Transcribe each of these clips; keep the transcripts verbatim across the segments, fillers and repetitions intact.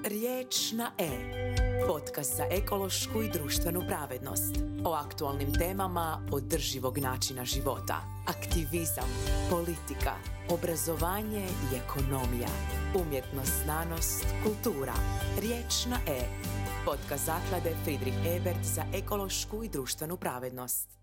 Riječ na E. Podcast za ekološku i društvenu pravednost. O aktualnim temama održivog načina života. Aktivizam, politika, obrazovanje i ekonomija. Umjetnost, znanost, kultura. Riječ na E. Podcast zaklade Friedrich Ebert za ekološku i društvenu pravednost.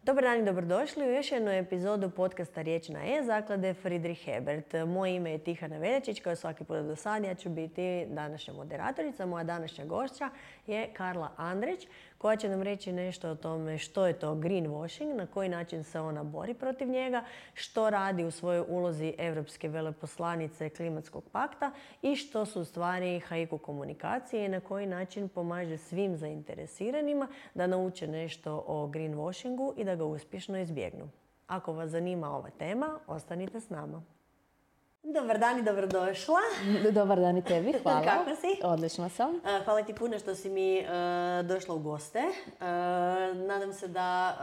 Dobar dan i dobrodošli u još jednu epizodu podcasta Riječ na E zaklade Friedrich Ebert. Moje ime je Tihana Veljačić, kao svaki put do sad ja ću biti današnja moderatorica. Moja današnja gošća je Karla Andrić, koja će nam reći nešto o tome što je to greenwashing, na koji način se ona bori protiv njega, što radi u svojoj ulozi Europske veleposlanice Klimatskog pakta i što su u stvari haiku komunikacije i na koji način pomaže svim zainteresiranima da nauče nešto o greenwashingu i da ga uspješno izbjegnu. Ako vas zanima ova tema, ostanite s nama. Dobar dan i dobrodošla. Dobar dan i tebi, hvala. Kako si? Odlično sam. Hvala ti puno što si mi uh, došla u goste. Uh, nadam se da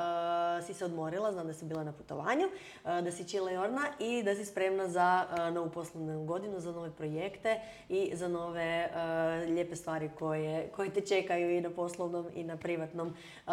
uh, si se odmorila, znam da si bila na putovanju, uh, da si chillejorna i da si spremna za uh, novu poslovnu godinu, za nove projekte i za nove uh, lijepe stvari koje, koje te čekaju i na poslovnom i na privatnom uh,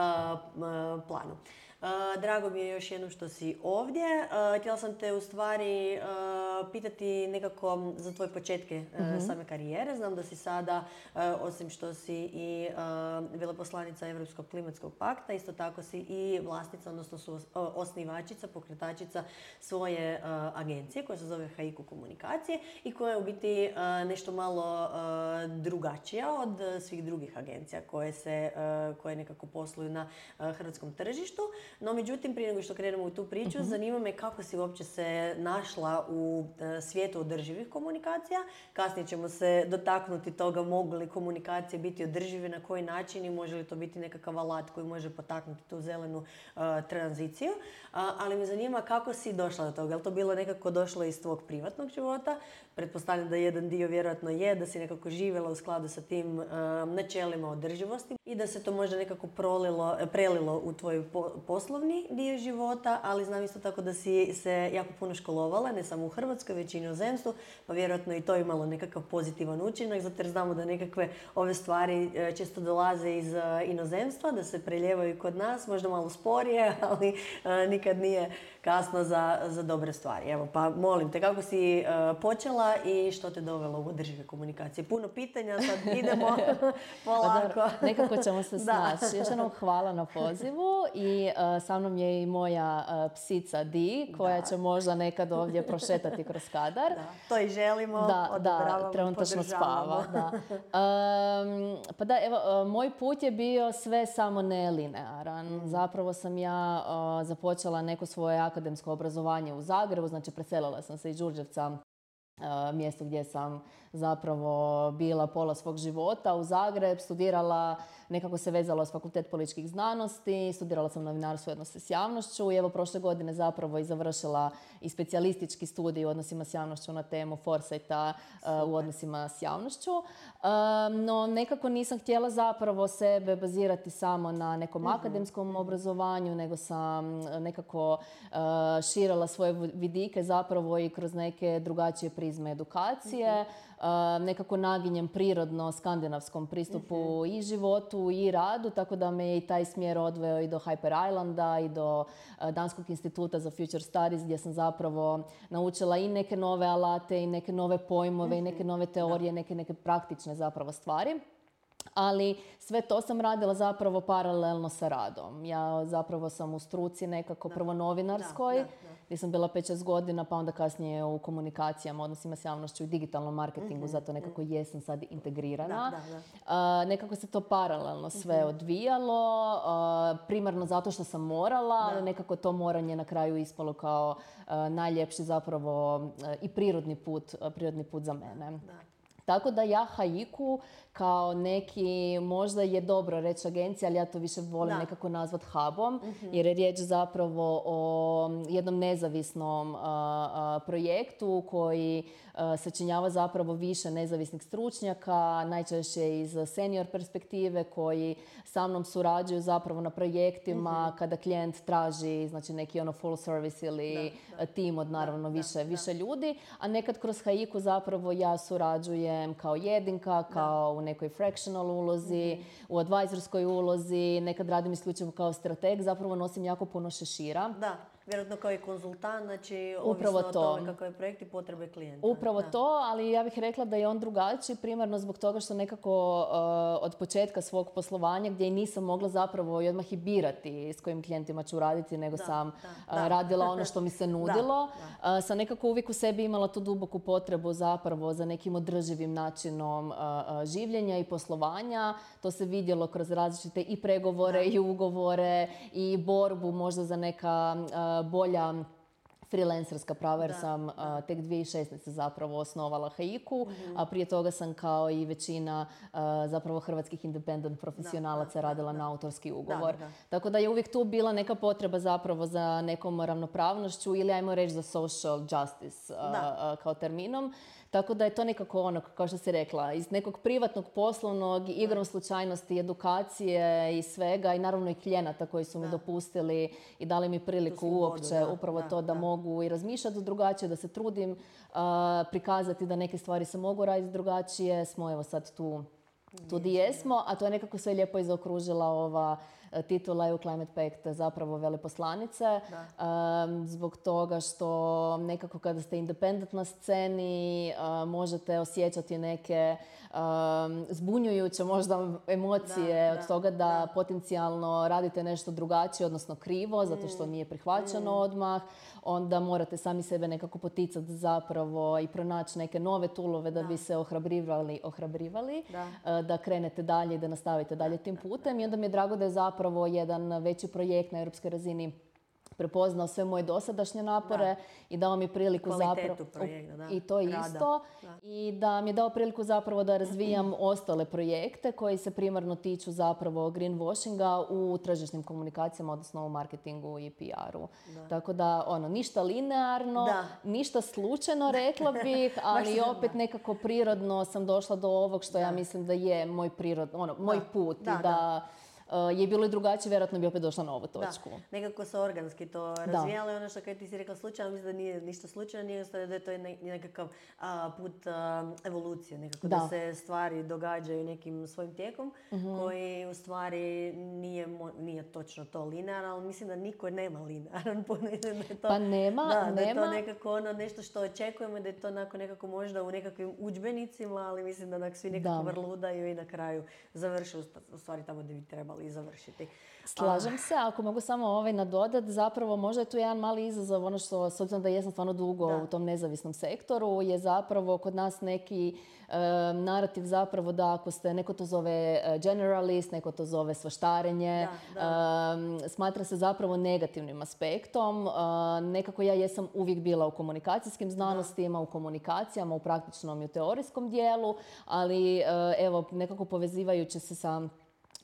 uh, planu. Uh, drago mi je još jednom što si ovdje. Uh, htjela sam te u stvari uh, pitati nekako za tvoje početke uh, mm-hmm. same karijere. Znam da si sada, uh, osim što si i uh, veleposlanica Europskog klimatskog pakta, isto tako si i vlasnica, odnosno su, uh, osnivačica, pokretačica svoje uh, agencije koja se zove haiku komunikacije i koja je u biti uh, nešto malo uh, drugačija od svih drugih agencija koje, se, uh, koje nekako posluju na uh, hrvatskom tržištu. No, međutim, prije nego što krenemo u tu priču, uh-huh. zanima me kako si uopće se našla u uh, svijetu održivih komunikacija. Kasnije ćemo se dotaknuti toga mogu li komunikacije biti održive, na koji način i može li to biti nekakav alat koji može potaknuti tu zelenu uh, tranziciju. Uh, ali me zanima kako si došla do toga. Je li to bilo nekako došlo iz tvog privatnog života? Pretpostavljam da jedan dio vjerojatno je da si nekako živjela u skladu sa tim uh, načelima održivosti i da se to možda nekako prolilo, prelilo u tvoj po- poslovni dio života, ali znam isto tako da si se jako puno školovala, ne samo u Hrvatskoj, već i u inozemstvu, pa vjerojatno i to imalo nekakav pozitivan učinak, zato jer znamo da nekakve ove stvari često dolaze iz inozemstva, da se preljevaju kod nas, možda malo sporije, ali uh, nikad nije kasno za, za dobre stvari. Evo, pa molim te, kako si uh, počela i što te dovelo u održive komunikacije? Puno pitanja, sad idemo polako. Pa nekako ćemo se snaći. Još jednom hvala na pozivu i uh, sa mnom je i moja uh, psica Di, koja da. će možda nekad ovdje prošetati kroz kadar. Da, to i želimo, da, odobravamo, da, trenutačno spava. Da. Um, pa da, evo, uh, moj put je bio sve samo ne linearan. Mm. Zapravo sam ja uh, započela neko svoje akademsko obrazovanje u Zagrebu, znači preselila sam se iz Đurđevca, mjesto gdje sam zapravo bila pola svog života u Zagreb, studirala, nekako se vezala s Fakultet političkih znanosti, studirala sam novinarstvo i odnose s javnošću i evo prošle godine zapravo i završila i specijalistički studij u odnosima s javnošću na temu foresighta uh, u odnosima s javnošću. Um, no nekako nisam htjela zapravo sebe bazirati samo na nekom mm-hmm. akademskom obrazovanju, nego sam nekako uh, širila svoje vidike zapravo i kroz neke drugačije prizme edukacije. Mm-hmm. Uh, nekako naginjem prirodno skandinavskom pristupu mm-hmm. i životu i radu, tako da me je i taj smjer odveo i do Hyper Islanda i do uh, Danskog instituta za Future Studies, gdje sam zapravo naučila i neke nove alate i neke nove pojmove mm-hmm. i neke nove teorije, da. neke, neke praktične zapravo stvari. Ali sve to sam radila zapravo paralelno sa radom. Ja zapravo sam u struci nekako da. prvo novinarskoj, da, da, da. gdje sam bila pet šest godina, pa onda kasnije u komunikacijama, odnosima s javnošću i digitalnom marketingu, mm-hmm. zato nekako jesam sad integrirana. Da, da, da. Uh, nekako se to paralelno sve mm-hmm. odvijalo, uh, primarno zato što sam morala, da. ali nekako to moranje na kraju ispalo kao uh, najljepši zapravo uh, i prirodni put, uh, prirodni put za mene. Da. Tako da ja haiku kao neki, možda je dobro reći agencija, ali ja to više volim da. nekako nazvat hubom, mm-hmm. jer je riječ zapravo o jednom nezavisnom uh, uh, projektu koji uh, sačinjava zapravo više nezavisnih stručnjaka, najčešće iz senior perspektive, koji sa mnom surađuju zapravo na projektima mm-hmm. kada klijent traži, znači neki ono full service ili da, da. tim od naravno da, više, da, više da. ljudi, a nekad kroz haiku zapravo ja surađujem djelujem kao jedinka, kao u nekoj fractional ulozi, mm-hmm. u advisorskoj ulozi, nekad radim isključivo kao strateg, zapravo nosim jako puno šešira. Da. Vjerojatno kao i konzultant, znači Upravo ovisno to. o tome kakav je projekt i potrebe klijenta. Upravo da. to, ali ja bih rekla da je on drugačiji, primarno zbog toga što nekako uh, od početka svog poslovanja, gdje i nisam mogla zapravo i odmah i birati s kojim klijentima ću raditi, nego da, sam da, uh, da. radila ono što mi se nudilo. Da, da. Uh, sam nekako uvijek u sebi imala tu duboku potrebu zapravo za nekim održivim načinom uh, uh, življenja i poslovanja. To se vidjelo kroz različite i pregovore da. i ugovore i borbu možda za neka uh, bolja freelancerska prava jer da, sam uh, tek dvije tisuće šesnaeste zapravo osnovala Haiku, mm-hmm. a prije toga sam kao i većina uh, zapravo hrvatskih independent profesionalaca da, da, radila da, na autorski ugovor. Da, da. Tako da je uvijek tu bila neka potreba zapravo za nekom ravnopravnošću ili ajmo reći za social justice uh, uh, kao terminom. Tako da je to nekako ono, kao što si rekla, iz nekog privatnog, poslovnog, igrom slučajnosti, edukacije i svega i naravno i klijenata koji su mi da. dopustili i dali mi priliku uopće da, upravo da, to da, da mogu i razmišljati drugačije, da se trudim uh, prikazati da neke stvari se mogu raditi drugačije. Smo evo sad tu, tu di jesmo, a to je nekako sve lijepo i zaokružila ova titula E U Climate Pact zapravo veleposlanice, um, zbog toga što nekako kada ste independent na sceni uh, možete osjećati neke um, zbunjujuće možda emocije da, od da, toga da, da potencijalno radite nešto drugačije, odnosno krivo, zato što nije prihvaćeno mm. odmah. Onda morate sami sebe nekako poticati zapravo i pronaći neke nove toolove da, da. bi se ohrabrivali, ohrabrivali da. da krenete dalje i da nastavite dalje tim putem. I onda mi je drago da je zapravo jedan veći projekt na europskoj razini prepoznao sve moje dosadašnje napore da. i dao mi priliku kvalitetu zapravo projekta, da. i to isto da. i da mi je dao priliku zapravo da razvijam ostale projekte koji se primarno tiču zapravo greenwashinga u tržišnim komunikacijama, odnosno u marketingu i P R-u. Da. Tako da ono, ništa linearno, da. ništa slučajno rekla bih, ali opet nekako prirodno sam došla do ovog što da. ja mislim da je moj prirod, ono, moj da. put da, i da, da. Uh, je bilo i drugačije, vjerojatno bi opet došla na ovu točku. Da, nekako se organski to razvijalo i ono što kad ti si rekla slučajno, mislim da nije ništa slučajno, nije da je to nekakav a, put a, evolucije, nekako da. da se stvari događaju nekim svojim tijekom, mm-hmm. koji u stvari nije, nije točno to linearno, ali mislim da niko nema linearan put. To, pa nema, da, nema. Da je to nekako ono nešto što očekujemo, da je to onako nekako možda u nekakvim udžbenicima, ali mislim da nak svi nekako da. vrludaju i na kraju završe u stvari tamo gdje bi trebali i završiti. Slažem se, ako mogu samo ovaj nadodat, zapravo možda je tu jedan mali izazov, ono što, s obzirom da jesam stvarno dugo da. u tom nezavisnom sektoru, je zapravo kod nas neki um, narativ zapravo da ako ste, neko to zove generalist, neko to zove svaštarenje, da, da. Um, smatra se zapravo negativnim aspektom. Uh, nekako ja jesam uvijek bila u komunikacijskim znanostima, da. u komunikacijama, u praktičnom i u teorijskom dijelu, ali uh, evo, nekako povezivajući se sa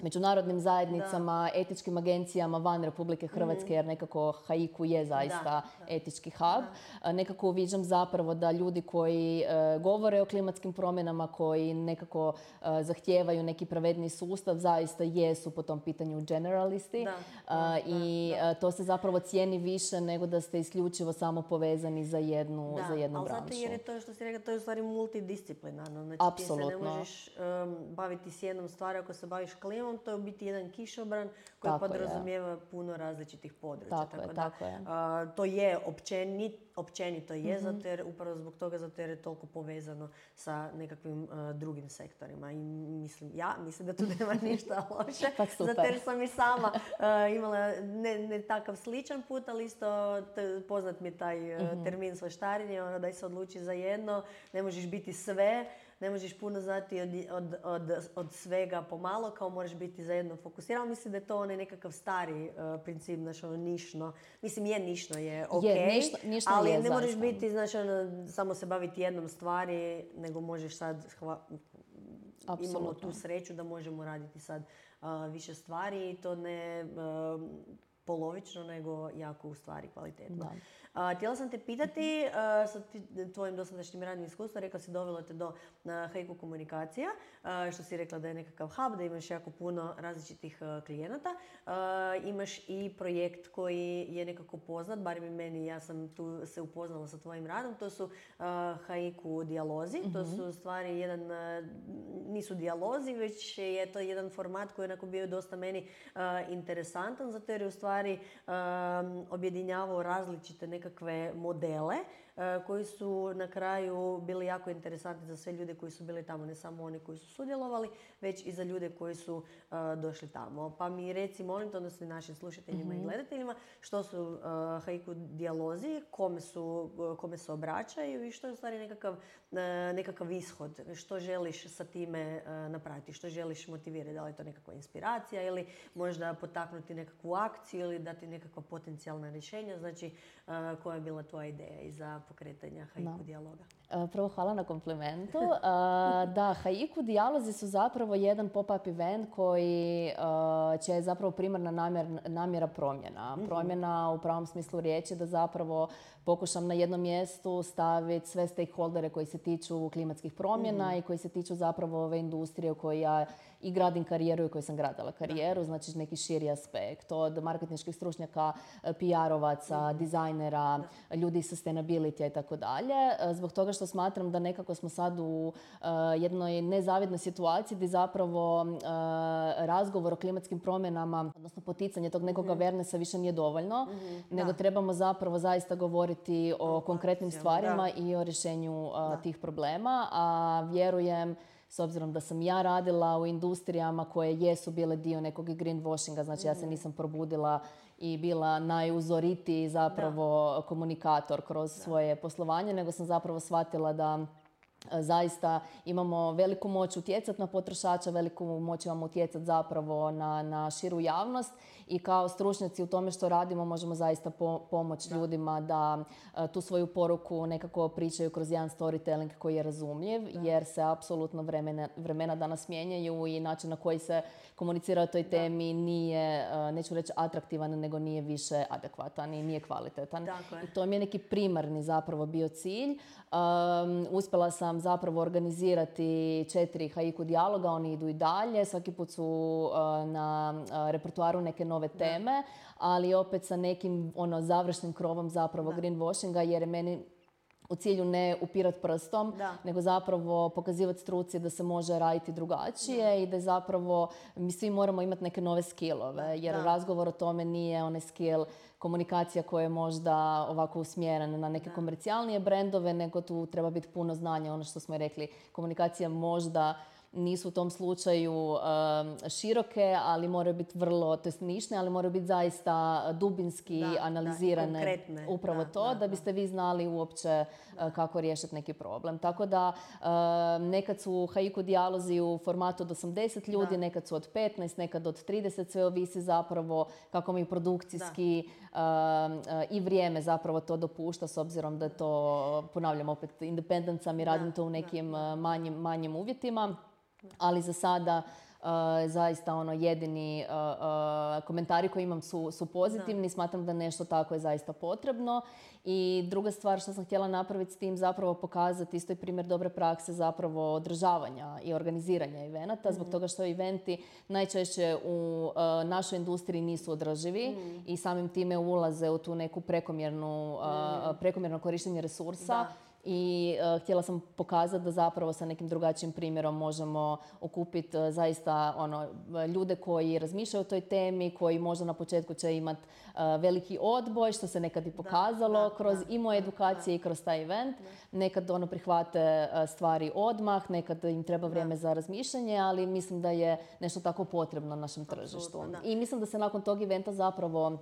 međunarodnim zajednicama, da. etičkim agencijama van Republike Hrvatske, mm. jer nekako Haiku je zaista da, da. etički hub. Da. Nekako uviđam zapravo da ljudi koji uh, govore o klimatskim promjenama, koji nekako uh, zahtijevaju neki pravedni sustav, zaista jesu po tom pitanju generalisti. Da. Da, uh, I da, da. Uh, to se zapravo cijeni više nego da ste isključivo samo povezani za jednu, da. za jednu ali branšu. Ali zato jer je to što si rekla, to je u stvari multidisciplinarno. Znači apsolutno. Ti se ne možeš um, baviti s jednom stvari ako se baviš klimom, to je u biti jedan kišobran koji tako podrazumijeva je. puno različitih područja. Tako, tako je, da, tako je. Uh, to je općenit, općenito je, mm-hmm. zato jer upravo zbog toga, zato jer je toliko povezano sa nekakvim uh, drugim sektorima. I mislim, ja mislim da tu nema ništa loše, pa zato jer sam i sama uh, imala ne, ne takav sličan put, ali isto t- poznat mi je taj uh, mm-hmm. termin svaštarenje, ono da se odluči za jedno, ne možeš biti sve, ne možeš puno znati od, od, od, od svega pomalo, kao moraš biti za jedno fokusiran. Mislim da je to onaj nekakav stari uh, princip, znaš, ono, nišno. Mislim, je nišno, je okej, okay, ali je, ne moraš zaista. biti, znaš, ono, samo se baviti jednom stvari, nego možeš sad, hva, imamo tu sreću da možemo raditi sad uh, više stvari i to ne... Uh, polovično, nego jako u stvari kvalitetno. Da. A, htjela sam te pitati, a, sa ti- tvojim dosadašnjim radnim iskustvom, rekla si dovelo te do a, Haiku komunikacija, a, što si rekla da je nekakav hub, da imaš jako puno različitih a, klijenata. A, imaš i projekt koji je nekako poznat, barem i meni, ja sam tu se upoznala sa tvojim radom, to su a, Haiku dijalozi. To su u stvari jedan, a, nisu dijalozi, već je to jedan format koji je onako bio dosta meni a, interesantan, zato jer je u stvari a, objedinjavao različite nekakve modele a, koji su na kraju bili jako interesantni za sve ljude koji su bili tamo, ne samo oni koji su sudjelovali, već i za ljude koji su a, došli tamo. Pa mi reci, molim te, odnosno i našim slušateljima i gledateljima, što su a, Haiku dijalozi, kome, su, kome se obraćaju i što je u stvari nekakav, a, nekakav ishod, što želiš sa time a, napraviti, što želiš motivirati, da li je to nekakva inspiracija ili možda potaknuti nekakvu akciju ili dati nekakva potencijalna rješenja, znači a, koja je bila tvoja ideja iza pokretanja Haiku Da. dijaloga? E, Prvo, hvala na komplimentu. E, Da, Haiku dijalozi su zapravo jedan pop-up event koji e, će je zapravo primarna namjer, namjera promjena. Promjena u pravom smislu riječi, da zapravo pokušam na jednom mjestu staviti sve stakeholdere koji se tiču klimatskih promjena i koji se tiču zapravo ove industrije u kojoj ja i gradim karijeru i u kojoj sam gradila karijeru, znači neki širi aspekt, od marketinških stručnjaka, P R-ovaca, dizajnera, ljudi iz sustainability i tako dalje. E, Zbog toga što smatram da nekako smo sad u e, jednoj nezavidnoj situaciji gdje zapravo e, razgovor o klimatskim promjenama, odnosno poticanje tog nekog awarenessa više nije dovoljno, nego trebamo zapravo zaista govoriti o konkretnim akcijama, stvarima i o rješenju e, tih problema, a vjerujem, s obzirom da sam ja radila u industrijama koje jesu bile dio nekog greenwashinga, znači ja se nisam probudila i bila najuzoritiji zapravo komunikator kroz svoje poslovanje, nego sam zapravo shvatila da e, zaista imamo veliku moć utjecati na potrošača, veliku moć imamo utjecati zapravo na, na širu javnost i kao stručnjaci u tome što radimo možemo zaista po, pomoći ljudima da e, tu svoju poruku nekako pričaju kroz jedan storytelling koji je razumljiv, jer se apsolutno vremena, vremena danas mijenjaju i način na koji se komunicira o toj temi nije, e, neću reći atraktivan, nego nije više adekvatan i nije kvalitetan. Tako je. I to mi je neki primarni zapravo bio cilj. Um, uspjela sam zapravo organizirati četiri Haiku dijaloga, oni idu i dalje, svaki put su uh, na uh, repertoaru neke nove teme, ali opet sa nekim ono završnim krovom zapravo greenwashinga, jer je meni u cilju ne upirat prstom, Da. nego zapravo pokazivati struci da se može raditi drugačije i da zapravo mi svi moramo imati neke nove skillove, jer Da. razgovor o tome nije onaj skill komunikacija koja je možda ovako usmjerena na neke komercijalnije brendove, nego tu treba biti puno znanja, ono što smo i rekli, komunikacija možda nisu u tom slučaju um, široke, ali moraju biti vrlo, to jest nišne, ali moraju biti zaista dubinski Da, da, analizirane. konkretne. Upravo Da, to, da, da, da. biste vi znali uopće uh, kako riješiti neki problem. Tako da um, nekad su Haiku dijalozi u formatu od osamdeset ljudi, Da. nekad su od petnaest, nekad od trideset, sve ovisi zapravo kako mi produkcijski um, uh, i vrijeme zapravo to dopušta, s obzirom da je to, ponavljam opet, independent sam i radim to u nekim uh, manjim, manjim uvjetima. Ali za sada uh, zaista ono jedini uh, uh, komentari koje imam su, su pozitivni. Smatram da nešto tako je zaista potrebno. I druga stvar što sam htjela napraviti s tim, zapravo pokazati isto i primjer dobre prakse zapravo održavanja i organiziranja evenata, zbog toga što eventi najčešće u uh, našoj industriji nisu održivi i samim time ulaze u tu neku prekomjernu, uh, prekomjerno korištenje resursa. Da. I uh, htjela sam pokazati da zapravo sa nekim drugačijim primjerom možemo okupiti uh, zaista ono, ljude koji razmišljaju o toj temi, koji možda na početku će imati uh, veliki odboj, što se nekad i pokazalo da, kroz da, i moje edukacije i kroz taj event. Nekad ono prihvate uh, stvari odmah, nekad im treba vrijeme za razmišljanje, ali mislim da je nešto tako potrebno našem tržištu. da. I mislim da se nakon tog eventa zapravo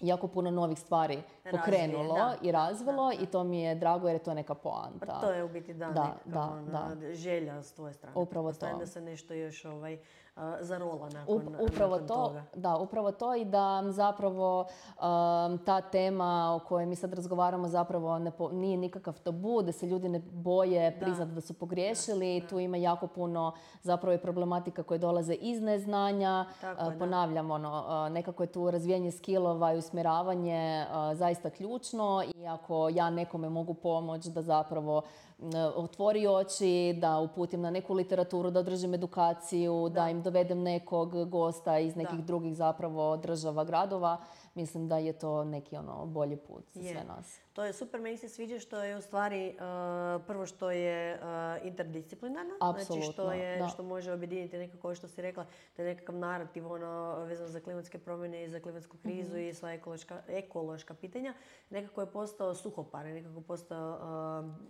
jako puno novih stvari Razvije, pokrenulo da, i razvilo i to mi je drago jer je to neka poanta. Pa to je u biti da, Da, nekakva da, ono, da. želja s tvoje strane. Upravo Pretpostavljam to. da se nešto još ovaj, zarola nakon, Up, upravo nakon to, toga. Da, upravo to i da zapravo um, ta tema o kojoj mi sad razgovaramo zapravo ne po, nije nikakav tabu, da se ljudi ne boje priznati da, da su pogriješili. Da, da. Tu ima jako puno zapravo i problematika koje dolaze iz neznanja. Tako, uh, ponavljam, ono, uh, nekako je tu razvijanje skillova i usmjeravanje uh, zaista ključno i ako ja nekome mogu pomoći da zapravo otvori oči, da uputim na neku literaturu, da održim edukaciju, da, da im dovedem nekog gosta iz nekih da. drugih zapravo država, gradova. Mislim da je to neki ono bolji put za sve nas. To je super, meni se sviđa što je u stvari uh, prvo što je uh, interdisciplinarno. Apsolutno, znači što, je, da. što može objediniti nekako što si rekla, da je nekakav narativ ono, vezan za klimatske promjene i za klimatsku krizu mm-hmm. i sva ekološka, ekološka pitanja. Nekako je postao suhoparan, nekako je postao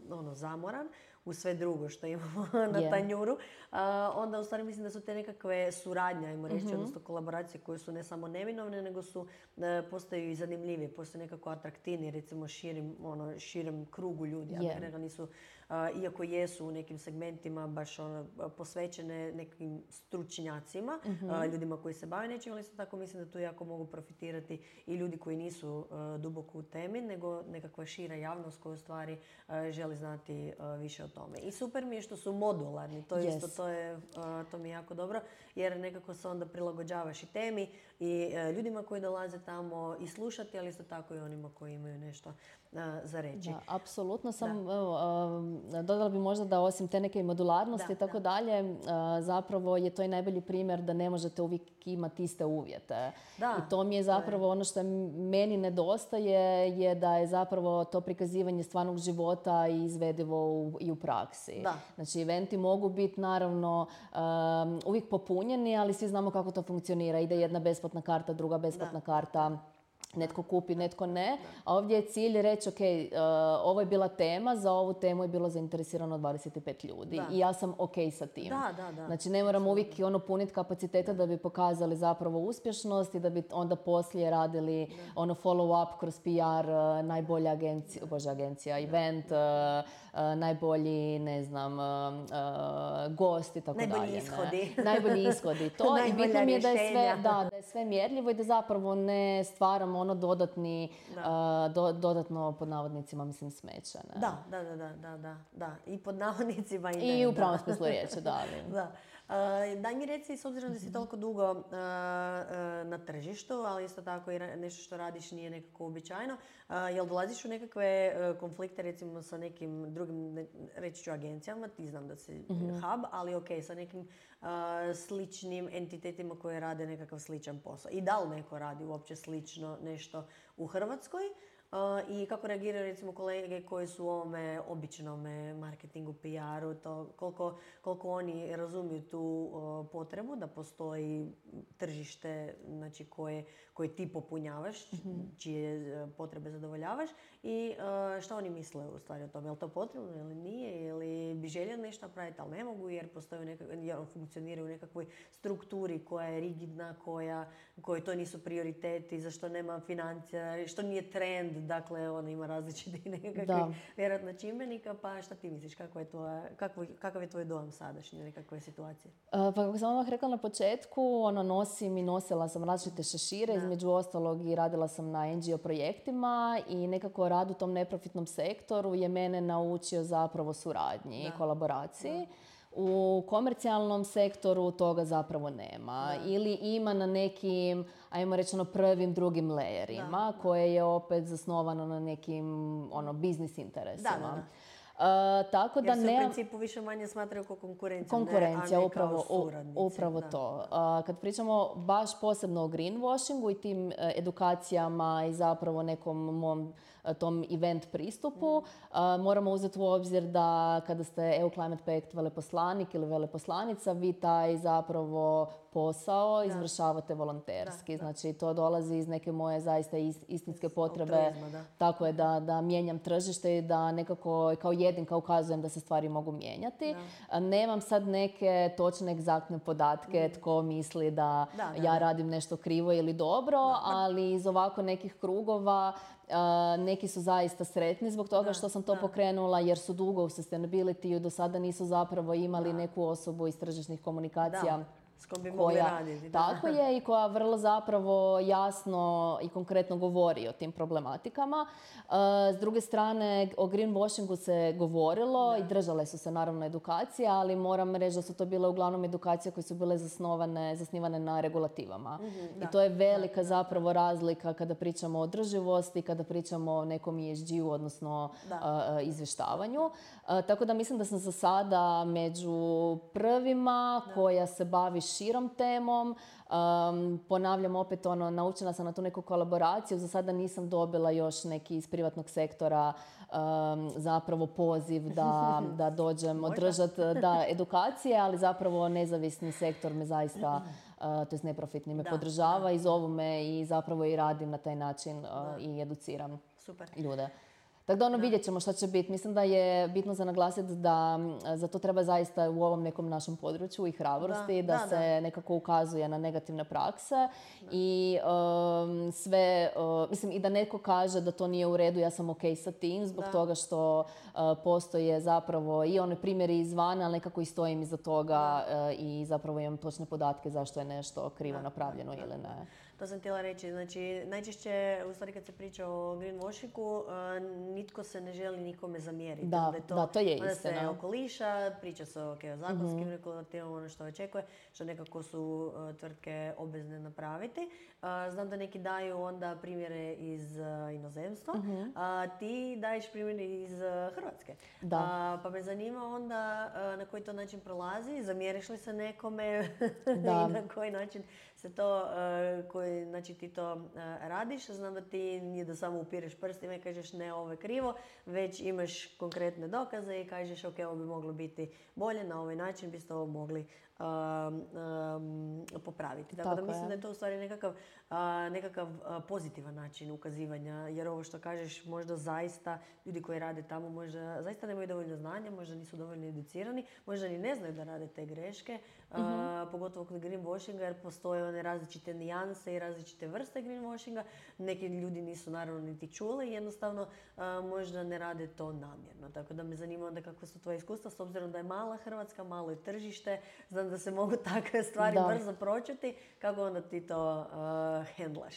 uh, ono, zamoran u sve drugo što imamo na yeah. tanjuru. Uh, onda u stvari mislim da su te nekakve suradnje, ajmo reći, mm-hmm. odnosno kolaboracije koje su ne samo neminovne, nego su uh, postaju i zanimljivije, postaju nekako atraktivnije, recimo širim, ono, širem krugu ljudi. Yeah. Ja bih rekla, nisu, uh, iako jesu u nekim segmentima baš ono, posvećene nekim stručnjacima, mm-hmm. uh, ljudima koji se bave nečim, ali isto tako mislim da tu jako mogu profitirati i ljudi koji nisu uh, duboko u temi, nego nekakva šira javnost koja u stvari uh, želi znati uh, više o tome. I super mi je što su modularni, to, yes. isto, to, je, uh, to mi je jako dobro, jer nekako se onda prilagođavaš i temi i uh, ljudima koji dolaze tamo i slušati, ali isto tako i onima koji imaju nešto uh, za reći. Da, apsolutno sam, da. Evo, uh, dodala bi možda da osim te neke modularnosti da, i tako da. dalje, uh, zapravo je to i najbolji primjer da ne možete uvijek imati iste uvjete. Da, I to mi je zapravo je. ono što meni nedostaje, je da je zapravo to prikazivanje stvarnog života i izvedivo u, i u praksi. Da. Znači, eventi mogu biti naravno um, uvijek popunjeni, ali svi znamo kako to funkcionira. Ide jedna besplatna karta, druga besplatna da. karta. Netko kupi, netko ne. A ovdje je cilj reći, ok, uh, ovo je bila tema, za ovu temu je bilo zainteresirano dvadeset pet ljudi. Da. I ja sam ok sa tim. Da, da, da. Znači, ne moramo uvijek ono puniti kapaciteta da bi pokazali zapravo uspješnost i da bi onda poslije radili da. ono follow-up kroz P R, uh, najbolja agencija, bože agencija, event, uh, uh, najbolji, ne znam, uh, uh, gost i tako dalje. Najbolji ishodi. Najbolji ishodi. To i bitno mi je da je, sve, da, da je sve mjerljivo i da zapravo ne stvaramo ono dodatni, uh, do, dodatno pod navodnicima, mislim, smeće. Ne? Da, da, da, da, da, da. I pod navodnicima i ne. I u pravom smislu riječi, da. da. Uh, daj mi reci, s obzirom da si toliko dugo uh, uh, na tržištu, ali isto tako i nešto što radiš nije nekako uobičajeno, uh, jel dolaziš u nekakve uh, konflikte recimo sa nekim drugim, ne, reći ću agencijama, ti znam da si mm-hmm. hub, ali ok, sa nekim uh, sličnim entitetima koje rade nekakav sličan posao. I da li neko radi uopće slično nešto u Hrvatskoj? Uh, I kako reagiraju recimo kolege koji su u ovome običnome marketingu, P R-u, to koliko, koliko oni razumiju tu uh, potrebu da postoji tržište, znači, koje, koje ti popunjavaš, mm-hmm. čije uh, potrebe zadovoljavaš i uh, šta oni misle u stvari o tome. Je li to potrebno ili nije, ili bi željeli nešto napraviti, ali ne mogu jer postoje nekak, jer funkcioniraju u nekakvoj strukturi koja je rigidna, koja, koji to nisu prioriteti, zašto nema financija, što nije trend. Dakle, ona ima različitih nekakvih vjerojatno čimbenika, pa šta ti misliš, kako je tvoja, kako, kakav je tvoj dojam sadašnji, nekakve situacije? Uh, pa kako sam odmah rekla na početku, ono, nosim i nosila sam različite šešire, da. između ostalog i radila sam na N G O projektima i nekako rad u tom neprofitnom sektoru je mene naučio zapravo suradnji i kolaboraciji. Da. U komercijalnom sektoru toga zapravo nema. Da. Ili ima na nekim, ajmo reći, ono prvim, drugim lejerima, da. koje je opet zasnovano na nekim ono, biznis interesima. Da, da, da. Uh, tako da jer se ne... u principu više manje smatraju kao konkurencija, konkurencija, ne, a ne upravo, kao suradnici. Upravo da. to. Uh, kad pričamo baš posebno o greenwashingu i tim uh, edukacijama i zapravo nekom mom uh, tom event pristupu, mm. uh, moramo uzeti u obzir da kada ste E U Climate Pact veleposlanik ili veleposlanica, vi taj zapravo posao da. izvršavate volonterski. Da, da. Znači, to dolazi iz neke moje zaista istinske potrebe. Da. Tako je da, da mijenjam tržište i da nekako kao jedinka ukazujem da se stvari mogu mijenjati. Da. Nemam sad neke točne, egzaktne podatke mm. tko misli da, da, da ja da. radim nešto krivo ili dobro, da. ali iz ovako nekih krugova Uh, neki su zaista sretni zbog toga da, što sam to da. pokrenula jer su dugo u sustainability-u, do sada nisu zapravo imali da. neku osobu iz tržišnih komunikacija. Da. S kojom bi mogli raditi. Tako je, i koja vrlo zapravo jasno i konkretno govori o tim problematikama. S druge strane, o greenwashingu se govorilo i držale su se naravno edukacije, ali moram reći da su to bile uglavnom edukacije koje su bile zasnovane, zasnivane na regulativama. Mm-hmm, I to je velika da, zapravo da. razlika kada pričamo o održivosti, kada pričamo o nekom E S G-u, odnosno uh, izvještavanju. Uh, tako da mislim da sam za sada među prvima da. koja se bavi širom temom. Um, ponavljam opet, ono, naučena sam na tu neku kolaboraciju. Za sada nisam dobila još neki iz privatnog sektora um, zapravo poziv da, da dođem održati da, edukacije, ali zapravo nezavisni sektor me zaista, uh, to jest neprofitni, me da, podržava da. i zovu me i zapravo i radim na taj način uh, i educiram Super. ljude. Tako da ono, vidjet ćemo šta će biti. Mislim da je bitno za naglasiti da za to treba zaista u ovom nekom našem području i hrabrosti, da, da, da se da. nekako ukazuje na negativne prakse da. i um, sve, uh, mislim i da netko kaže da to nije u redu, ja sam ok sa tim, zbog da. toga što uh, postoje zapravo i one primjeri izvana, ali nekako i stojim iza toga uh, i zapravo imam točne podatke zašto je nešto krivo da. napravljeno da. ili ne. To sam htjela reći. Znači, najčešće, u stvari kad se priča o greenwashingu, nitko se ne želi nikome zamjeriti. Da, da, to, da, to je istina. Onda se okoliša, priča se okay, o zakonskim mm-hmm. regulativama, ono što očekuje, što nekako su uh, tvrtke obvezne napraviti. Uh, znam da neki daju onda primjere iz uh, inozemstva, mm-hmm. a ti daješ primjere iz uh, Hrvatske. Da. Uh, pa me zanima onda uh, na koji to način prolazi, zamjeriš li se nekome da. i na koji način se to, uh, koji, znači ti to uh, radiš. Znam da ti nije da samo upireš prstima i kažeš ne, ovo je krivo, već imaš konkretne dokaze i kažeš ok, ovo bi moglo biti bolje, na ovaj način biste ovo mogli um, um, popraviti. Tako, Tako da mislim je. da je to u stvari nekakav, uh, nekakav uh, pozitivan način ukazivanja, jer ovo što kažeš možda zaista ljudi koji rade tamo možda zaista nemaju dovoljno znanja, možda nisu dovoljno educirani, možda ni ne znaju da rade te greške, mm-hmm. uh, pogotovo kod greenwashinga, jer postoje one različite nijanse i različite vrste greenwashinga. Neki ljudi nisu naravno niti čuli i jednostavno uh, možda ne rade to namjerno. Tako da me zanima onda kakva su tvoje iskustva, s obzirom da je mala Hrvatska, malo je tržište, znam da se mogu takve stvari da. brzo pročuti. Kako onda ti to uh, hendlaš?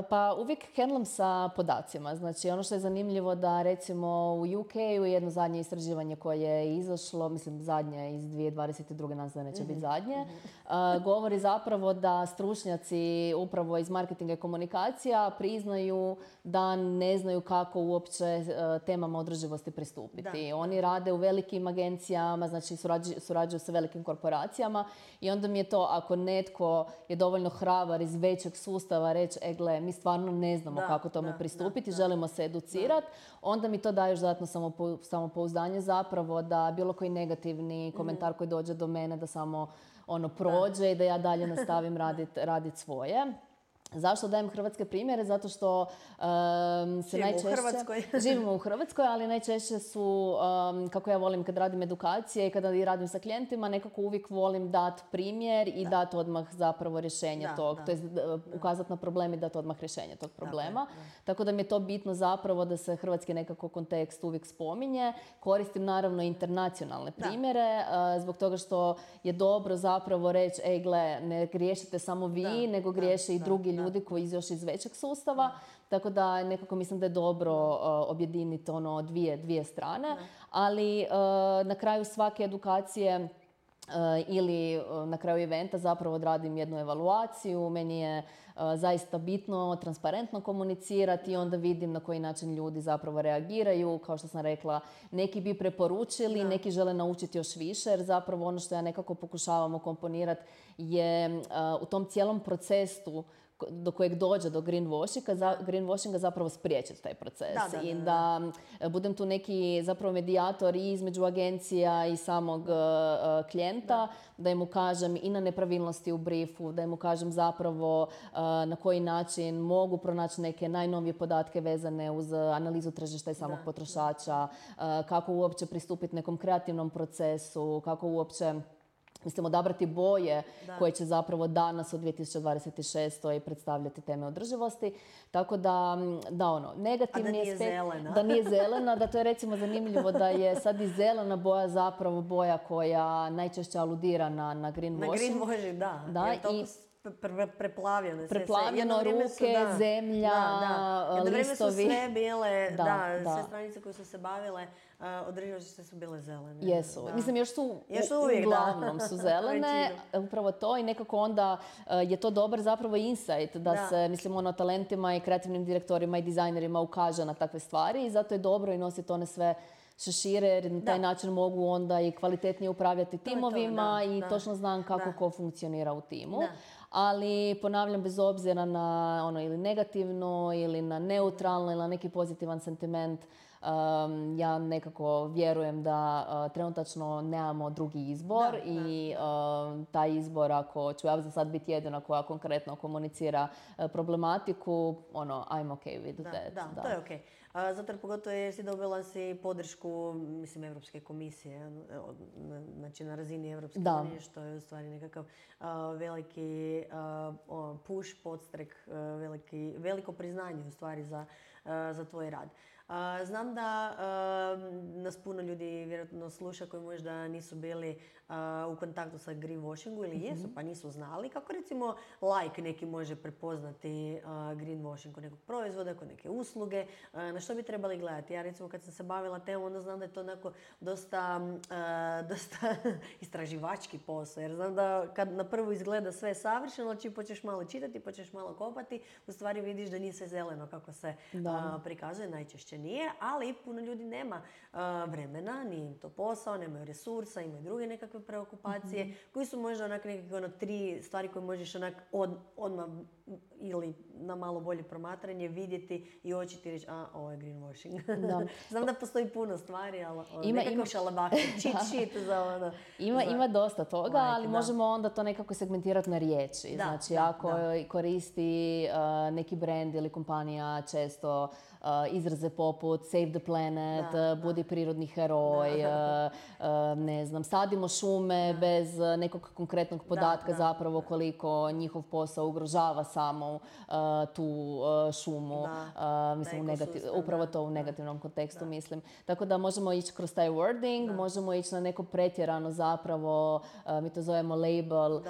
Pa uvijek hendlam sa podacima. Znači ono što je zanimljivo da recimo u U K-u jedno zadnje istraživanje koje je izašlo, mislim zadnje iz dvije tisuće dvadeset druge, nas da neće mm-hmm. biti zadnje, mm-hmm. uh, govori zapravo da stručnjaci upravo iz marketinga i komunikacija priznaju da ne znaju kako uopće uh, temama održivosti pristupiti. Da. Oni rade u velikim agencijama, znači surađuju, surađuju sa velikim korporacijama i onda mi je to, ako netko je dovoljno hrabar iz većeg sustava reći, e gle, mi stvarno ne znamo da, kako tome da, pristupiti, da, želimo se educirati, onda mi to daje još dodatno samopouzdanje zapravo da bilo koji negativni komentar mm. koji dođe do mene da samo ono prođe da. i da ja dalje nastavim raditi radit svoje. Zašto dajem hrvatske primjere? Zato što um, se živimo najčešće... u Hrvatskoj. živimo u Hrvatskoj, ali najčešće su, um, kako ja volim kad radim edukacije i kada radim sa klijentima, nekako uvijek volim dati primjer i da. dati odmah zapravo rješenje da, tog, da. to je ukazati na problem i dati odmah rješenje tog problema. Da, da. Tako da mi je to bitno zapravo da se hrvatski nekako kontekst uvijek spominje. Koristim naravno internacionalne primjere, uh, zbog toga što je dobro zapravo reći, ej gle, ne griješite samo vi, da, nego griješe da, i drugi da. ljudi koji još iz većeg sustava, da. tako da nekako mislim da je dobro uh, objediniti ono dvije, dvije strane, da. ali uh, na kraju svake edukacije uh, ili uh, na kraju eventa zapravo odradim jednu evaluaciju, meni je uh, zaista bitno transparentno komunicirati i onda vidim na koji način ljudi zapravo reagiraju. Kao što sam rekla, neki bi preporučili, da. neki žele naučiti još više, jer zapravo ono što ja nekako pokušavam ukomponirati je uh, u tom cijelom procesu do kojeg dođe do greenwashinga, za, greenwashinga zapravo spriječiti taj proces. Da, da, da, I da budem tu neki zapravo medijator i između agencija i samog uh, klijenta, da. da im ukažem i na nepravilnosti u briefu, da im ukažem zapravo uh, na koji način mogu pronaći neke najnovije podatke vezane uz analizu tržišta i samog da, potrošača, uh, kako uopće pristupiti nekom kreativnom procesu, kako uopće mislim, odabrati boje Da. koje će zapravo danas u dvije tisuće dvadeset šestoj predstavljati teme održivosti. Tako da, da ono, negativni A da nije aspekt... zelena. Da nije zelena, da to je recimo zanimljivo da je sad i zelena boja zapravo boja koja najčešće aludira na, na greenwashing. Na greenwashing, da. Da, Jer toliko i pre- preplavljene. sve- sve. preplavljeno Jedno vrijeme su, ruke, da, zemlja, da, da. Jedno vrijeme su listovi. sve bile, Da, da, da. sve stranice koje su se bavile uh, održivošću sve su bile zelene. Jesu. Da. Mislim, još su, Još su u- uvijek, da. uglavnom su zelene. Većinom. Upravo to i nekako onda uh, je to dobar zapravo insight da, Da. se, mislim, ono, talentima i kreativnim direktorima i dizajnerima ukaže na takve stvari i zato je dobro i nositi one sve šešire jer na taj Da. način mogu onda i kvalitetnije upravljati je to, timovima da, i da. točno znam kako Da. ko funkcionira u timu. Da. Ali ponavljam, bez obzira na ono ili negativno ili na neutralno ili na neki pozitivan sentiment, um, ja nekako vjerujem da uh, trenutačno nemamo drugi izbor Da, i um, taj izbor, ako ću ja za sad biti jedina koja konkretno komunicira uh, problematiku, ono, I'm okay with Da, that. da, to je okej. A, zato jer pogotovo jer si dobila si podršku, mislim, Europske komisije, od- na- znači na razini Europske Da. unije, što je u stvari nekakav a, veliki a, o, push, podstrek, a, veliki, veliko priznanje u stvari za, a, za tvoj rad. A, znam da a, nas puno ljudi vjerojatno sluša koji možda nisu bili a, u kontaktu sa greenwashingu ili jesu pa nisu znali. Kako recimo like neki može prepoznati a, greenwashing kod nekog proizvoda, kod neke usluge, a, na što bi trebali gledati? Ja recimo kad sam se bavila temom onda znam da je to onako dosta, a, dosta istraživački posao. Jer znam da kad na prvu izgleda sve savršeno, ali čim počneš malo čitati, počneš malo kopati, u stvari vidiš da nije sve zeleno kako se Da. a, prikazuje, najčešće nije, ali puno ljudi nema a, vremena, nije im to posao, nemaju resursa, imaju druge nekakve preokupacije, koji su možda onak nekakve ono, tri stvari koje možeš onak od, odmah ili na malo bolje promatranje vidjeti i očiti reći, a, ovo je greenwashing. Da. Znam da postoji puno stvari, ali ono, Ima- nekakav ima- šalabahter, cheat sheet za ono. Ima, za- ima dosta toga, Like, ali da. možemo onda to nekako segmentirati na riječi. Da, znači, da, ako da. koristi uh, neki brand ili kompanija često uh, izraze poput Save the planet, Da, uh, budi prirodni heroj, uh, uh, ne znam, sadimo šume bez uh, nekog konkretnog podatka da, zapravo koliko njihov posao ugrožava samo uh, tu uh, šumu. Da, Uh, mislim, u taj negati- ekosistem, upravo da, to u da. negativnom kontekstu mislim. Tako da možemo ići kroz taj wording, možemo ići na neko pretjerano zapravo, uh, mi to zovemo label, uh,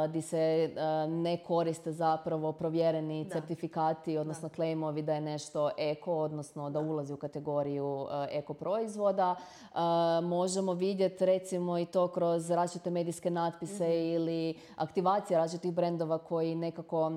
di se uh, ne koriste zapravo provjereni Da. certifikati, odnosno claimovi da je nešto eko, odnosno da ulazi u kategoriju uh, eko proizvoda. Uh, možemo vidjeti recimo i to kroz različite medijske natpise ili aktivacije različitih brendova koji nekako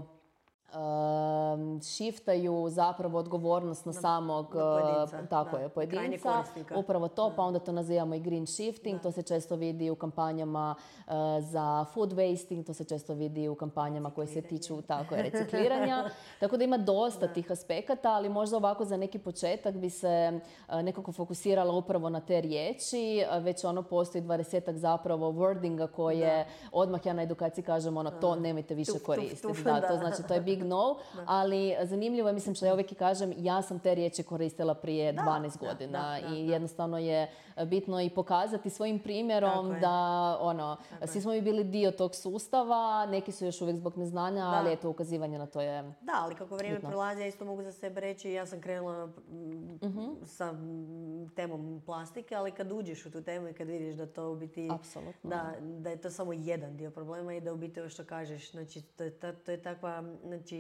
um, shiftaju zapravo odgovornost na, samog na pojedinca, uh, tako da, je, na krajnjeg pojedinca. korisnika. Upravo to, pa onda to nazivamo i green shifting. To se često vidi u kampanjama uh, za food wasting, to se često vidi u kampanjama koje se tiču tako je, recikliranja. Tako da ima dosta tih aspekata, ali možda ovako za neki početak bi se uh, nekako fokusirala upravo na te riječi. Uh, već ono postoji dvadesetak zapravo wordinga koje odmah ja na edukaciji kažem ono, to nemojte više Tuf, tuf, koristiti. tuf, Da, da. to znači to je big no, ali zanimljivo je, mislim što ja uvijek i kažem, ja sam te riječi koristila prije dvanaest da, godina da, da, i da. jednostavno je bitno i pokazati svojim primjerom Tako je. da ono, svi smo mi bili dio tog sustava, neki su još uvijek zbog neznanja, ali eto ukazivanje na to je... Da, ali kako vrijeme bitno. prolazi, ja isto mogu za sebe reći, ja sam krenula mm, sa mm, temom plastike, ali kad uđeš u tu temu i kad vidiš da to u biti, Apsolutno. da, da je to samo jedan dio problema i da u biti ovo što kažeš, znači to je, ta- to je takva, znači,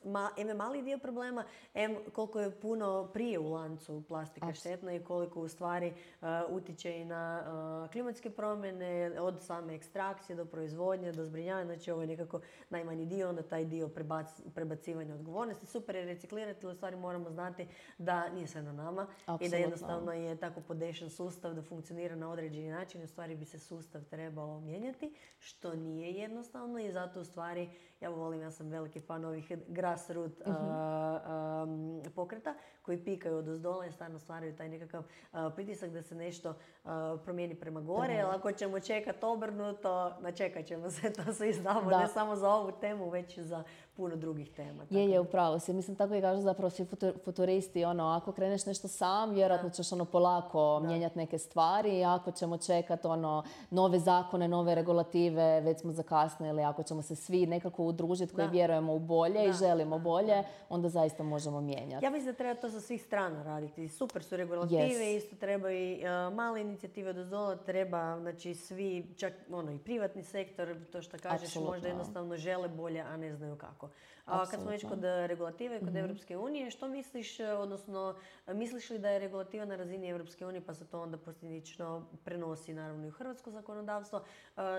Ma, em je mali dio problema, em koliko je puno prije u lancu plastika štetna i koliko u stvari uh, utiče i na uh, klimatske promjene, od same ekstrakcije do proizvodnje, do zbrinjavanja, znači ovo je nekako najmanji dio, onda taj dio prebac, prebacivanja odgovornosti. Super je reciklirati, ali u stvari moramo znati da nije sve na nama i da Apsolutno. jednostavno je tako podešen sustav da funkcionira na određeni način, u stvari bi se sustav trebao mijenjati, što nije jednostavno i zato u stvari ja volim, ja sam veliki fan ovih grassroot uh, um, pokreta koji pikaju od ozdola i stvarno stvaraju taj nekakav uh, pritisak da se nešto uh, promijeni prema gore. Jer ako ćemo čekati obrnuto, načekat ćemo se, to svi znamo, ne samo za ovu temu, već i za puno drugih tema. Je, je, upravo si. Mislim, tako i kažu zapravo svi futuristi, ono, ako kreneš nešto sam, vjerojatno ćeš ono polako mijenjati neke stvari, ako ćemo čekati ono, nove zakone, nove regulative, već smo zakasnili, ako ćemo se svi nekako udružiti koji da. vjerujemo u bolje da. i želimo da. bolje, da. onda zaista možemo mijenjati. Ja mislim da treba to sa svih strana raditi. Super su regulative, yes. isto treba i uh, male inicijative od ozdola, treba, znači svi, čak ono, i privatni sektor, to što kažeš, Absolutno. možda jednostavno žele bolje, a ne znaju kako. A kad smo već kod regulative, kod mm-hmm. Europske unije, što misliš, odnosno misliš li da je regulativa na razini Europske unije, pa se to onda posljedično prenosi naravno i u hrvatsko zakonodavstvo,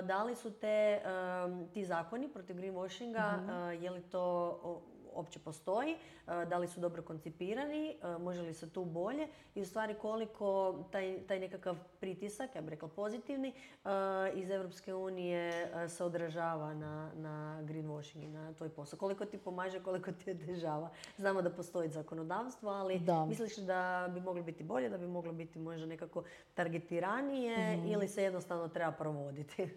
da li su te, ti zakoni protiv greenwashinga, mm-hmm. je li to uopće postoji, da li su dobro koncipirani, može li se tu bolje i u stvari koliko taj, taj nekakav pritisak, ja bih rekla pozitivni, iz Europske unije se odražava na, na greenwashing i na tvoj posao. Koliko ti pomaže, koliko ti otežava. Znamo da postoji zakonodavstvo, ali da. misliš da bi moglo biti bolje, da bi moglo biti možda nekako targetiranije mm. ili se jednostavno treba provoditi?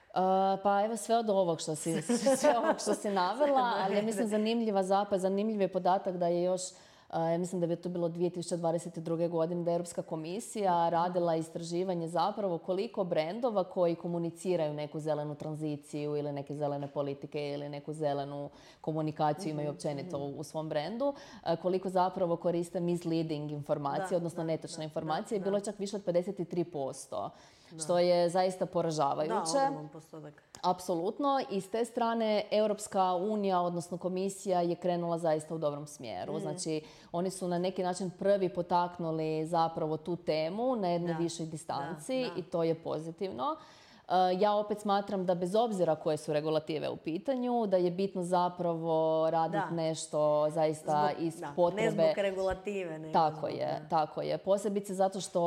Uh, pa evo sve od ovog što si, sve ovog što si navela, ali ja mislim zanimljiva zapad, zanimljiv je podatak da je još, uh, ja mislim da bi to bilo dvije tisuće dvadeset druge. godine, da je Europska komisija radila istraživanje zapravo koliko brendova koji komuniciraju neku zelenu tranziciju ili neke zelene politike ili neku zelenu komunikaciju imaju općenito u, u svom brendu, uh, koliko zapravo koriste misleading informacije, da, odnosno da, netočne da, informacije, da, bilo je čak više od pedeset tri posto. Da. Što je zaista poražavajuće. Da, ogroman postotak. Apsolutno. I s te strane Europska unija, odnosno komisija, je krenula zaista u dobrom smjeru. Mm. Znači, oni su na neki način prvi potaknuli zapravo tu temu na jednoj višoj distanci da, da. i to je pozitivno. Ja opet smatram da bez obzira koje su regulative u pitanju, da je bitno zapravo raditi nešto zaista zbog, iz da, potrebe. Ne zbog regulative. Ne tako zbog, je, ne. tako je. Posebice zato što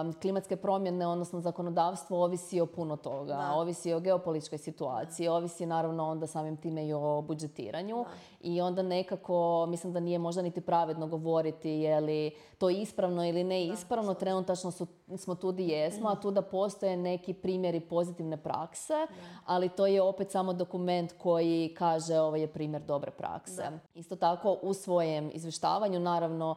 um, klimatske promjene, odnosno zakonodavstvo, ovisi o puno toga. Da. Ovisi o geopolitičkoj situaciji, da. ovisi naravno onda samim time i o budžetiranju. Da. I onda nekako, mislim da nije možda niti pravedno govoriti je li to ispravno ili ne ispravno. Da, trenutačno su, smo tu di jesmo, mm. a tu da postoje neki primjeri pozitivne prakse, da. ali to je opet samo dokument koji kaže ovo je primjer dobre prakse. Da. Isto tako u svojem izvještavanju naravno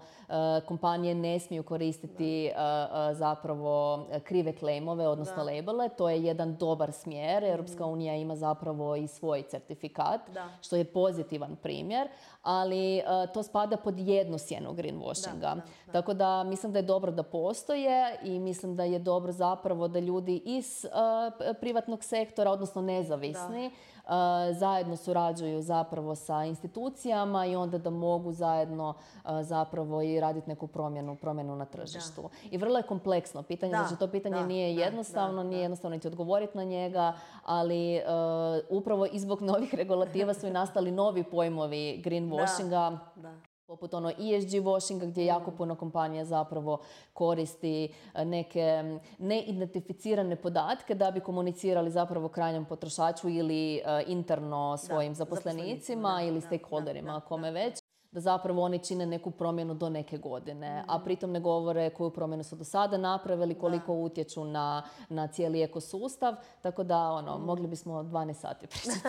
kompanije ne smiju koristiti da. zapravo krive klejmove, odnosno da. labele. To je jedan dobar smjer. Europska unija ima zapravo i svoj certifikat, da. što je pozitivan primjer, ali to spada pod jednu sjenu greenwashinga. Da, da, da. Tako da mislim da je dobro da postoje i mislim da je dobro zapravo da ljudi iz uh, privatnog sektora, odnosno nezavisni, uh, zajedno surađuju zapravo sa institucijama i onda da mogu zajedno uh, zapravo i raditi neku promjenu, promjenu na tržištu. Da. I vrlo je kompleksno pitanje, da, znači to pitanje da, nije jednostavno, da, nije jednostavno niti odgovoriti na njega, ali uh, upravo i zbog novih regulativa su i nastali novi pojmovi greenwashinga. Da, da. Poput ono E S G washinga gdje jako puno kompanija zapravo koristi neke neidentificirane podatke da bi komunicirali zapravo krajnjem potrošaču ili uh, interno svojim da, zaposlenicima da, ili stakeholderima, kome da, već. Da zapravo oni čine neku promjenu do neke godine, mm. a pritom ne govore koju promjenu su do sada napravili, koliko da. utječu na, na cijeli ekosustav, tako da ono, mm. mogli bismo dvanaest sati pričati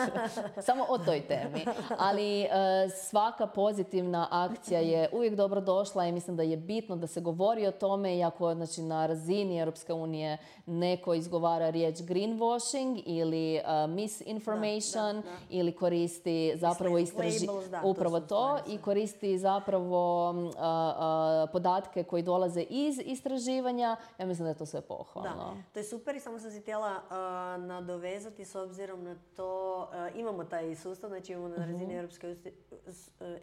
samo o toj temi. Ali e, svaka pozitivna akcija je uvijek dobro došla i mislim da je bitno da se govori o tome, iako znači, na razini Europske unije neko izgovara riječ greenwashing ili uh, misinformation da, da, da. ili koristi zapravo istraži... upravo to, to i koristi zapravo uh, uh, podatke koji dolaze iz istraživanja. Ja mislim da je to sve pohvalno. Da, to je super i samo sam si htjela uh, nadovezati s obzirom na to, uh, imamo taj sustav, znači imamo na razini uh-huh. Europske,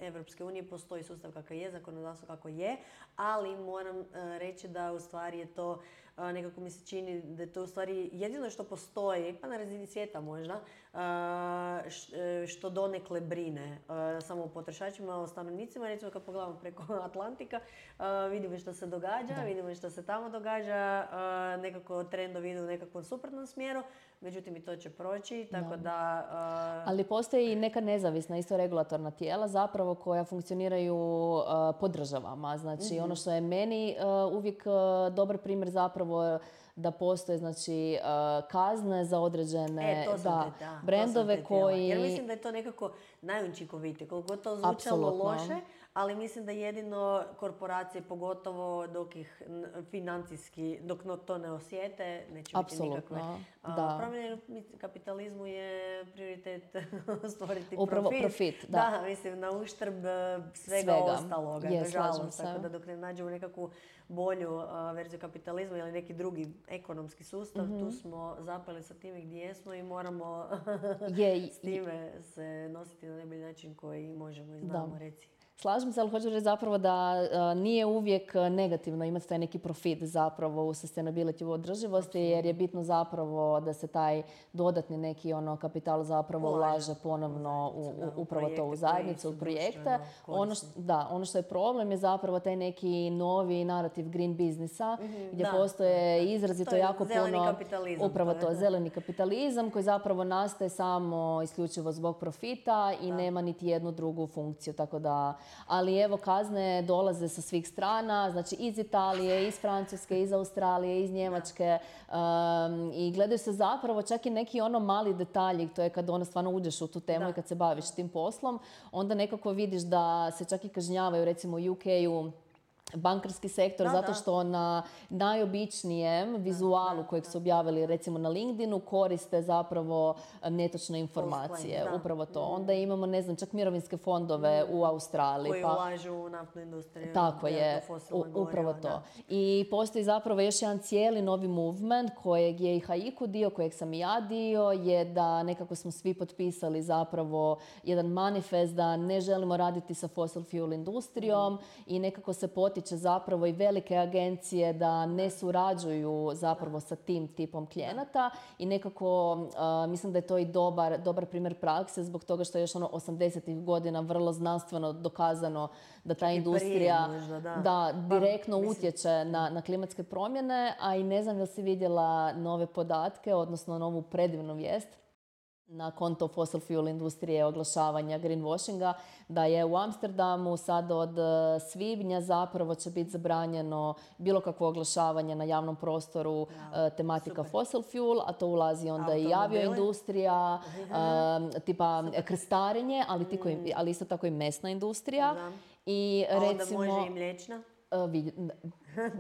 Europske unije postoji sustav kakav je, zakonodavstvo kako je, ali moram uh, reći da u stvari je to a, nekako mi se čini da je to u stvari jedino što postoji, pa na razini svijeta možda, a, š, što donekle brine a, samo o potrošačima, o stanovnicima. Recimo kad pogledamo preko Atlantika, a, vidimo što se događa, da. vidimo što se tamo događa, a, nekako trendovi idu u nekakvom suprotnom smjeru. Međutim, i to će proći, tako da... da uh... Ali postoji i neka nezavisna, isto regulatorna tijela zapravo koja funkcioniraju uh, po državama. Znači, mm-hmm. ono što je meni uh, uvijek uh, dobar primjer zapravo da postoje znači, uh, kazne za određene e, to sam da, te, da, brendove to koji... Jer mislim da je to nekako najučinkovitije, koliko to zvučalo Apsolutno. loše, ali mislim da jedino korporacije, pogotovo dok ih financijski, dok to ne osjete, neće Apsolutno. biti nikakve da. promjene. Kapitalizmu je prioritet stvoriti Upravo profit. profit da. da, mislim, na uštrb svega, svega. ostaloga, je, nažalost. Tako da dok ne nađemo nekakvu bolju uh, verziju kapitalizma ili neki drugi ekonomski sustav, mm-hmm. tu smo zapeli sa time gdje jesmo i moramo je, s time se nositi na najbolji način koji možemo i znamo, reci. Slažem se, ali hoću reći zapravo da uh, nije uvijek negativno imati taj neki profit zapravo u sustainability, u održivosti, jer je bitno zapravo da se taj dodatni neki ono kapital zapravo ulaže ponovno u, u, upravo to u zajednicu, u projekte. Ono što, da, ono što je problem je zapravo taj neki novi narativ green biznisa, mm-hmm, gdje da, postoje da, izrazito to jako puno upravo to, zeleni kapitalizam koji zapravo nastaje samo isključivo zbog profita i da. nema niti jednu drugu funkciju, tako da ali evo kazne dolaze sa svih strana, znači iz Italije, iz Francuske, iz Australije, iz Njemačke um, i gledaju se zapravo čak i neki ono mali detalji, to je kad ono stvarno uđeš u tu temu da. i kad se baviš tim poslom, onda nekako vidiš da se čak i kažnjavaju recimo u U K-u bankarski sektor, da, zato što na najobičnijem vizualu kojeg su objavili recimo na LinkedInu koriste zapravo netočne informacije. Da. Upravo to. Mm. Onda imamo, ne znam, čak mirovinske fondove mm. u Australiji. Koji pa, ulažu u naftnu industriju. Tako je, u, upravo to. Da. I postoji zapravo još jedan cijeli novi movement kojeg je i Haiku dio, kojeg sam i ja dio, je da nekako smo svi potpisali zapravo jedan manifest da ne želimo raditi sa fossil fuel industrijom mm. i nekako se potiče zapravo i velike agencije da ne surađuju zapravo sa tim tipom klijenata i nekako uh, mislim da je to i dobar, dobar primjer prakse zbog toga što je još ono osamdesetih godina vrlo znanstveno dokazano da ta industrija možda, da. Da, direktno pa, utječe na, na klimatske promjene, a i ne znam da li si vidjela nove podatke, odnosno novu predivnu vijest na konto fossil fuel industrije oglašavanja greenwashinga, da je u Amsterdamu sad od svibnja zapravo će biti zabranjeno bilo kakvo oglašavanje na javnom prostoru ja, tematika super. fossil fuel, a to ulazi onda i avioindustrija, uh, tipa super. krstarenje, ali, tiko, mm. ali isto tako i mesna industrija. Da. I a recimo, onda može i mliječna? Uh, vid,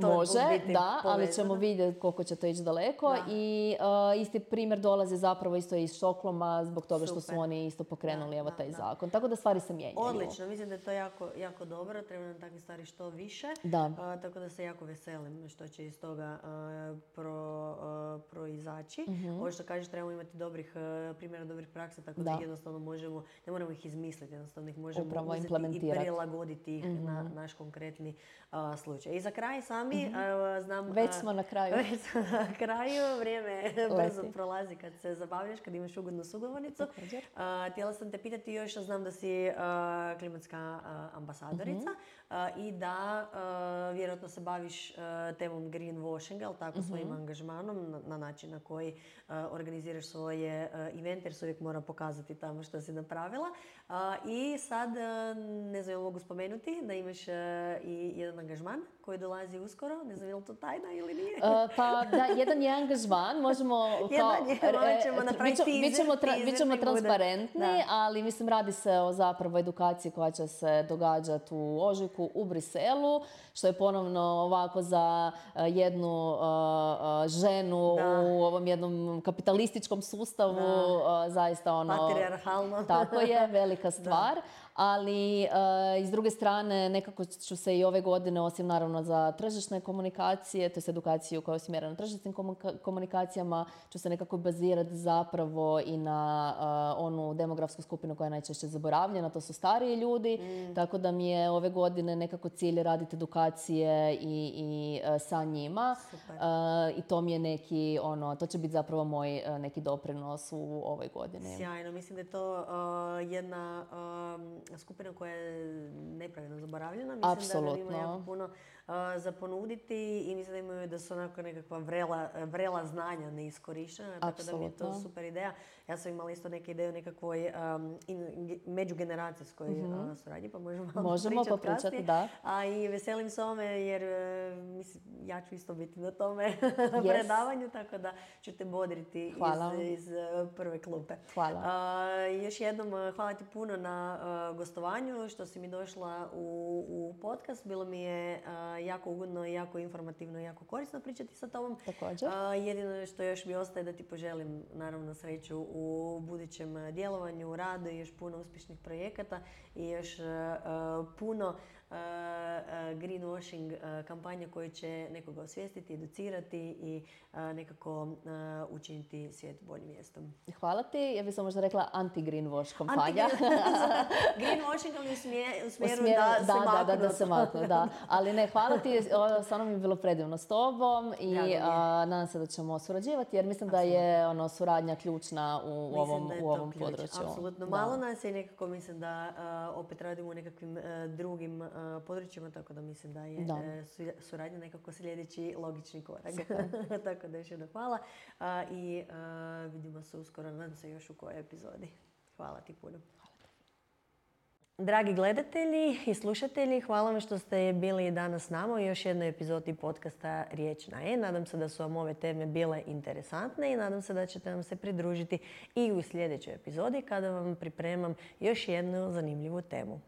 može, da, ali ćemo vidjeti koliko će to ići daleko. Da. I uh, isti primjer dolazi zapravo isto iz Štokholma zbog toga Super. što su oni isto pokrenuli da, evo taj da, zakon. Tako da stvari se mijenjaju. Odlično, mislim da je to jako, jako dobro. Treba nam takve stvari što više. Da. Uh, tako da se jako veselim što će iz toga uh, pro, uh, proizaći. Mm-hmm. Ovo što kažeš, trebamo imati dobrih uh, primjera, dobrih praksa, tako da, da ih jednostavno možemo, ne moramo ih izmisliti, jednostavno ih možemo Upravo uzeti i prilagoditi ih mm-hmm. na naš konkretni uh, slučaj. I za kraj sami, mm-hmm. znam... Već smo na kraju. Već smo na kraju, vrijeme brzo prolazi kad se zabavljaš, kad imaš ugodnu sugovornicu. Uh, htjela sam te pitati još, znam da si uh, klimatska uh, ambasadorica mm-hmm. uh, i da uh, vjerojatno se baviš uh, temom greenwashinga, ali tako mm-hmm. svojim angažmanom na, na način na koji uh, organiziraš svoje uh, evente, jer se uvijek mora pokazati tamo što si napravila. Uh, I sad, uh, ne znam, mogu spomenuti da imaš uh, i jedan angažman koji dolazi uskoro, ne znam je li to tajna ili nije? Uh, pa da, jedan je angažman, možemo... jedan je, e, ćemo napraviti teaser. Bit ćemo, tra, bit ćemo transparentni, da. ali mislim radi se o zapravo edukaciji koja će se događati u ožujku u Briselu, što je ponovno ovako za jednu uh, ženu da. u ovom jednom kapitalističkom sustavu uh, zaista ono... Patrijarhalno. Tako je, velika stvar. Ali uh, s druge strane nekako ću se i ove godine, osim naravno za tržišne komunikacije, to je edukaciju koja je usmjerena na tržišnim komunikacijama, ću se nekako bazirati zapravo i na uh, onu demografsku skupinu koja je najčešće zaboravljena, to su stariji ljudi, mm. tako da mi je ove godine nekako cilj raditi edukacije i, i uh, sa njima. Uh, I to mi je neki, ono, to će biti zapravo moj uh, neki doprinos u ovoj godini. Sjajno, mislim da je to uh, jedna uh, skupina koja je nepravilno zaboravljena. Mislim Apsolutno. Da ima jako puno uh, za ponuditi i mislim da imaju da su onako nekakva vrela, vrela znanja neiskorištena. Tako da mi je to super ideja. Ja sam imala isto neke ideje o nekakvoj um, in, međugeneracijskoj mm-hmm. uh, suradnji, pa možemo malo Možemo pričati kasnije. Da. A i veselim se ome jer uh, mislim, ja ću isto biti na tome yes. predavanju, tako da ću te bodriti iz, iz uh, prve klupe. Hvala. Uh, još jednom uh, hvala ti puno na uh, gostovanju, što si mi došla u, u podcast. Bilo mi je uh, jako ugodno, jako informativno i jako korisno pričati sa tobom. Također. Uh, jedino što još mi ostaje da ti poželim naravno sreću u budućem djelovanju, radu i još puno uspješnih projekata i još uh, puno uh, uh, greenwashing uh, kampanja koje će nekoga osvijestiti, educirati i uh, nekako uh, učiniti svijet boljim mjestom. Hvala ti. Ja bih sam možda rekla anti-greenwash kampanja. Greenwashing ali u, smje, u smjeru u smjeru, da, da, se da, maknu. Da, da se maknu, da. Ali ne, hvala ti. Stvarno mi je bilo predivno s tobom i uh, nadam se da ćemo surađivati jer mislim Absolutno. Da je ono, suradnja ključna u mislim ovom, u ovom području. Apsolutno. Malo nas je nekako mislim da uh, opet radimo u nekakvim uh, drugim uh, područjima, tako da mislim da je da. Uh, suradnja nekako sljedeći logični korak. Tako da još jedno hvala uh, i uh, vidimo se uskoro, nadam se još u kojoj epizodi. Hvala ti puno. Dragi gledatelji i slušatelji, hvala vam što ste bili danas s nama u još jednoj epizodi podcasta Riječ na E. Nadam se da su vam ove teme bile interesantne i nadam se da ćete nam se pridružiti i u sljedećoj epizodi kada vam pripremam još jednu zanimljivu temu.